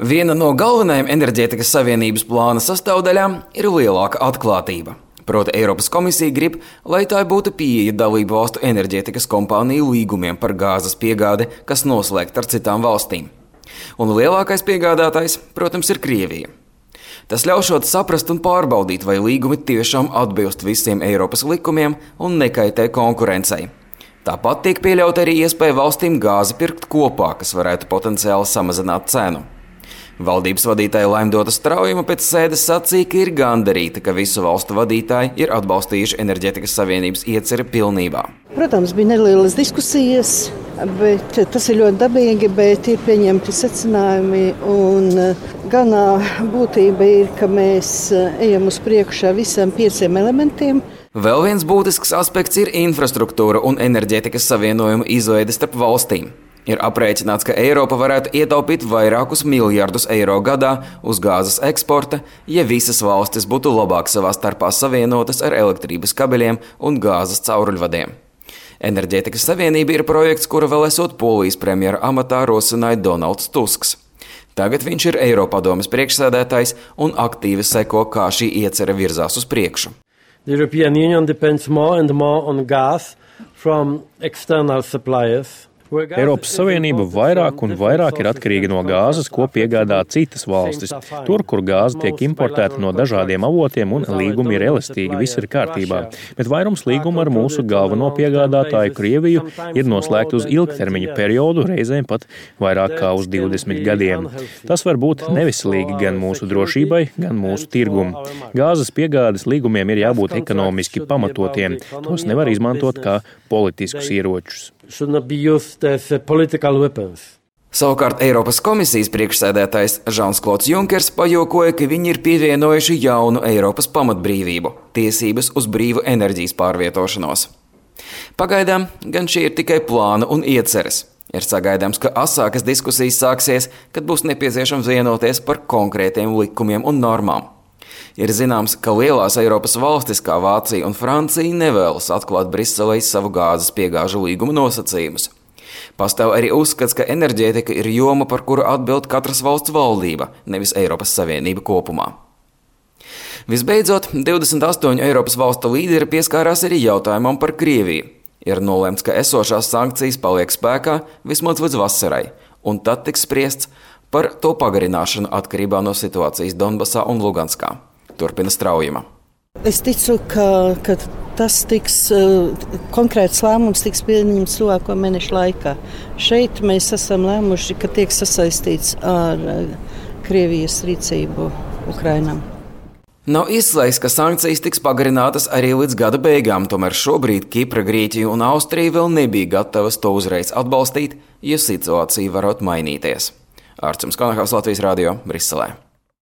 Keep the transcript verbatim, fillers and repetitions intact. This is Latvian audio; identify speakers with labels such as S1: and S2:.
S1: Viena no galvenajām enerģētikas savienības plāna sastāvdaļām ir lielāka atklātība. Proti Eiropas komisija grib, lai tā būtu pieeja dalību valstu enerģētikas kompāniju līgumiem par gāzes piegādi, kas noslēgta ar citām valstīm. Un lielākais piegādātājs, protams, ir Krievija. Tas ļaušot saprast un pārbaudīt, vai līgumi tiešām atbilst visiem Eiropas likumiem un nekaitē konkurencei. Tāpat tiek pieļauta arī iespēja valstīm gāzi pirkt kopā, kas varētu potenciāli samazināt cenu. Valdības vadītāja Laimdota Straujuma pēc sēdes sacīja, ka ir gandarīta, ka visu valstu vadītāji ir atbalstījuši enerģētikas savienības ieceri pilnībā.
S2: Protams, bija nelielas diskusijas, bet tas ir ļoti dabīgi, bet ir pieņemti secinājumi. Un galvenā būtība ir, ka mēs ejam uz priekšu ar visiem pieciem elementiem.
S1: Vēl viens būtisks aspekts ir infrastruktūra un enerģētikas savienojuma izveide starp valstīm. Ir aprēķināts, ka Eiropa varētu ietaupīt vairākus miljardus eiro gadā uz gāzes eksporta, ja visas valstis būtu labāk savā starpā savienotas ar elektrības kabeļiem un gāzes cauruļvadiem. Enerģētikas savienība ir projekts, kura vēl esot Polijas premjera amatā rosināja Donalds Tusks. Tagad viņš ir Eiropadomes priekšsēdētājs un aktīvi seko, kā šī iecere virzās uz priekšu.
S3: The European Union depends more and more on gas from external suppliers.
S4: Eiropas Savienība vairāk un vairāk ir atkarīga no gāzes, ko piegādā citas valstis. Tur, kur gāze tiek importēta no dažādiem avotiem un līgumi ir elastīgi, viss ir kārtībā. Bet vairums līgumu ar mūsu galveno piegādātāju Krieviju ir noslēgti uz ilgtermiņa periodu, reizēm pat vairāk kā uz divdesmit gadiem. Tas var būt neveselīgi gan mūsu drošībai, gan mūsu tirgumu. Gāzes piegādes līgumiem ir jābūt ekonomiski pamatotiem. Tos nevar izmantot kā politiskus ieročus.
S1: Savukārt Eiropas komisijas priekšsēdētājs Žans-Klods Junkers pajokoja, ka viņi ir pievienojuši jaunu Eiropas pamatbrīvību – tiesības uz brīvu enerģijas pārvietošanos. Pagaidām gan šie ir tikai plāni un ieceres. Ir sagaidāms, ka asākas diskusijas sāksies, kad būs nepieciešams vienoties par konkrētiem likumiem un normām. Ir zināms, ka lielās Eiropas valstis kā Vācija un Francija nevēlas atklāt Briselei savu gāzes piegāžu līguma nosacījumus. Pastāv arī uzskats, ka enerģētika ir joma, par kuru atbild katras valsts valdība, nevis Eiropas Savienība kopumā. Visbeidzot, divdesmit astoņu Eiropas valstu līderi pieskārās arī jautājumam par Krieviju. Ir nolemts, ka esošās sankcijas paliek spēkā vismaz līdz vasarai, un tad tiks spriests par to pagarināšanu atkarībā no situācijas Donbasā un Luganskā. Turpina Straujuma.
S2: Es ticu, ka, ka tas tiks, konkrēts lēmums tiks pieņemts tuvāko mēnešu laikā. Šeit mēs esam lēmuši, ka tiek sasaistīts ar Krievijas rīcību Ukrainam.
S1: Nav izslēgts, ka sankcijas tiks pagarinātas arī līdz gada beigām, tomēr šobrīd Kipra, Grieķija un Austrija vēl nebija gatavas to uzreiz atbalstīt, ja situācija varot mainīties. Ārčuns Konahaus, Latvijas radio, Briselē.